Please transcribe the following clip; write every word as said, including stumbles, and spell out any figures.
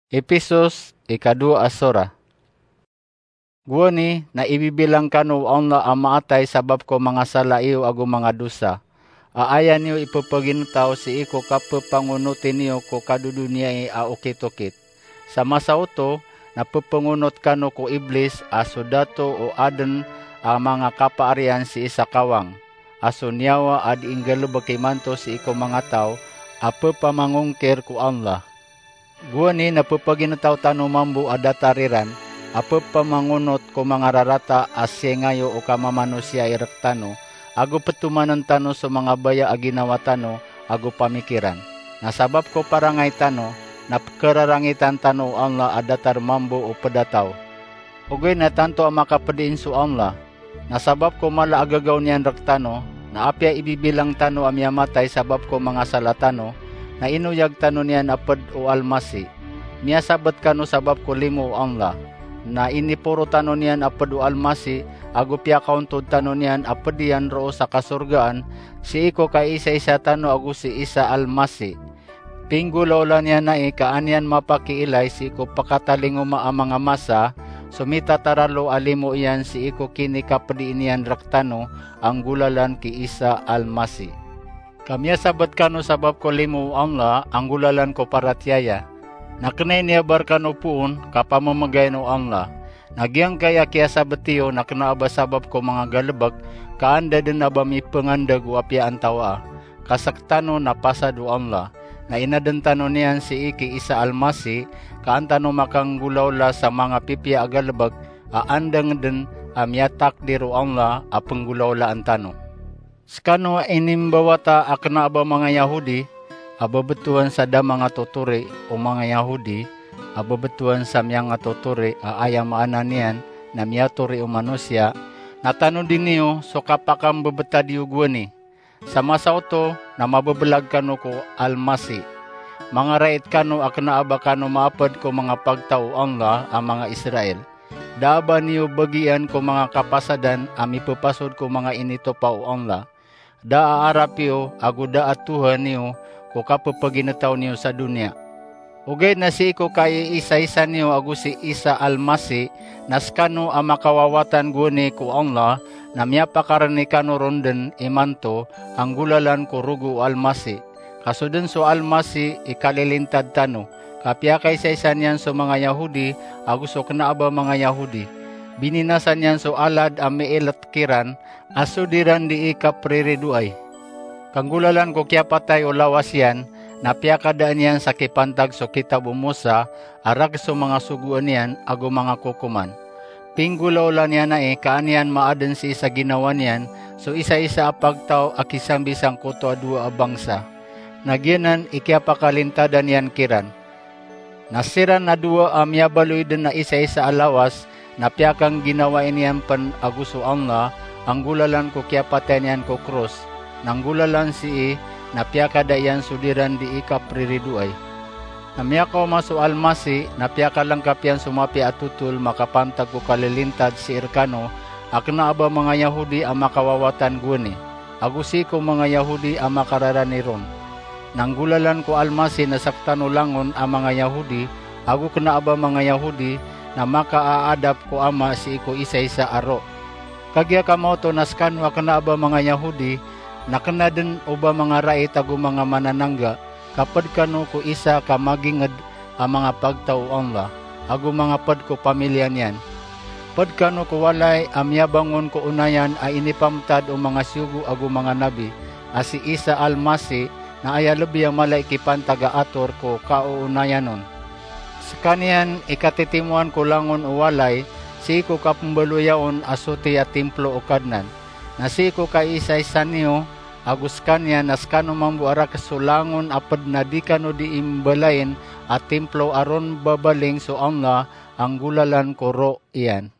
Episos, ikadowa a sora. Gowani na ibibilang kano o Allah a maatay sabap ko manga sala iyo ago manga dosa. A aya niyo ipepaginetaw sii ko kapepangonoti niyo ko kadodoniyai a okit-okit. Sa masa oto, na pepengonot kano ko Iblis a so dato o aden a manga kapaariyan sii sa kawang, a so niyawa a di inggalebek imanto sii ko manga taw a pepamangongkir ko Allah. Gowani na pepaginetaw tano mambo a datar iran a pepamangonot ko manga rarata a siyengayo o kamamanosiya i rektano, ago petomanen tano so manga baya a ginawa tano ago pamikiran. Na sabap ko parangay tano, na pekerarangitan tano o Allah a datar mambo o pedataw. Ogaid na tanto a makapediin so Allah. Na sabap ko mala a gagaw niyan rektano, na apiya ibibilang tano a miyamatay sabap ko manga sala tano, na inoyag tano niyan a ped o Almasi. Miyasabet kano sabap ko limo o Allah. Na iniporo tano niyan a ped o Almasi, ago piyakaontod tano niyan a ped iyan roo sa kasorgaan, sii ko kaisaisa tano ago si Isa Almasi. Pinggolaola niyan ai ka an iyan mapakiilay sii ko pekatalingoma a manga masa so mitataralo a limo iyan sii ko kinikapedii niyan rektano a nggolalan ki Isa Almasi. Ka miyasabet kano sabap ko limo o Allah a nggolalan ko paratiyaya. Na kena i niyabar kano poon ka pamemegayen o Allah. Na giyangkai a kiyasabet iyo na kena a ba sabap ko manga galebek ka anda den a ba mipengandeg o apiya antawaa. Ka sektano na pasad o Allah. Na inaden tano niyan sii ki Isa Almasi, ka an tano makanggolaola sa manga pipiya a galebek a andang den a miyatakdir o Allah a penggolaolaan tano. Sekano a inimbawata a kena a ba manga Yahudi a bebetowan sa da manga totori o manga Yahudi a bebetowan sa miyangatotori a aya maana niyan na miyatori o manosiya, na tanodi niyo so kapakambebetad iyo gowani. Sa masa oto na mabebelag kano ko Almasi. Mangarait kano a kena a ba kano maaped ko manga pagtaw o Allah a manga Israel. Da a ba niyo bagian ko manga kapasadan a mipepasod ko manga initopa o Allah. Da a arap iyo ago da a tohan iyo ko kapepaginetaw niyo sa doniya. Ogaid na sii ko kaiisaisa niyo ago si Isa Almasi, na sekano a makawawatan gowani ko Allah, na miyapakarani kano ron den imanto a nggolalan ko rogo o Almasi. Ka so den so Almasi i kalilintad tano, ka piyakaisaisa niyan so manga Yahudi ago so kena a ba manga Yahudi. Bininasa niyan so alad a miilet kiran a so di ran dii kapriridoay. Ka nggolalan ko kiyapatay o lawas iyan, na piyakadaan iyan sa kipantag so kitab o Mosa a rages so manga sogoan iyan ago manga kokoman. Pinggolaola niyan ai ka an iyan maaden sii sa ginawa niyan so isaisa a pagtaw a kisambi sangkoto a dowa a bangsa. Na giyanan i kiyapakalintadan iyan kiran. Na siran a dowa a miyabaloy den a isaisa a lawas na piyakangginawai niyan pen ago so Allah a nggolalan ko kiyapatay niyan ko kros, na nggolalan sii na piyakada iyan so di ran dii kapriridoay. Na miyakaoma so Almasi na piyakalengkap iyan so mapiya a totol makapantag ko kalilintad sii rekano a kena a ba manga Yahudi a makawawatan gowani, ago sii ko manga Yahudi a makararani ron. Na nggolalan ko Almasi na sektano langon a manga Yahudi ago kena a ba manga Yahudi na makaaadap ko Ama sii ko isaisa a ro. Kagiya kamaoto na sekano a kena a ba manga Yahudi na kena den o ba manga rait ago manga mananangga, ka ped kano ko isa ka maginged a manga pagtaw o Allah ago manga ped ko pamiliya niyan. Ped kano ko walay a miyabangon ko onayan a inipamtad o manga siyogo ago manga nabi, a si Isa Almasi, na aya lebi a mala i kipantag a ator ko kaoonayan on. Sekaniyan i katitimoan ko langon o walay sii ko kapembaloya on a soti a timplo o Kadnan. Na sii ko kaisaisa niyo ago sekaniyan na sekano mambo a rages so langon a ped na di kano dii mbalayin a timplo a ron babaling so Allah a nggolalan ko ro iyan.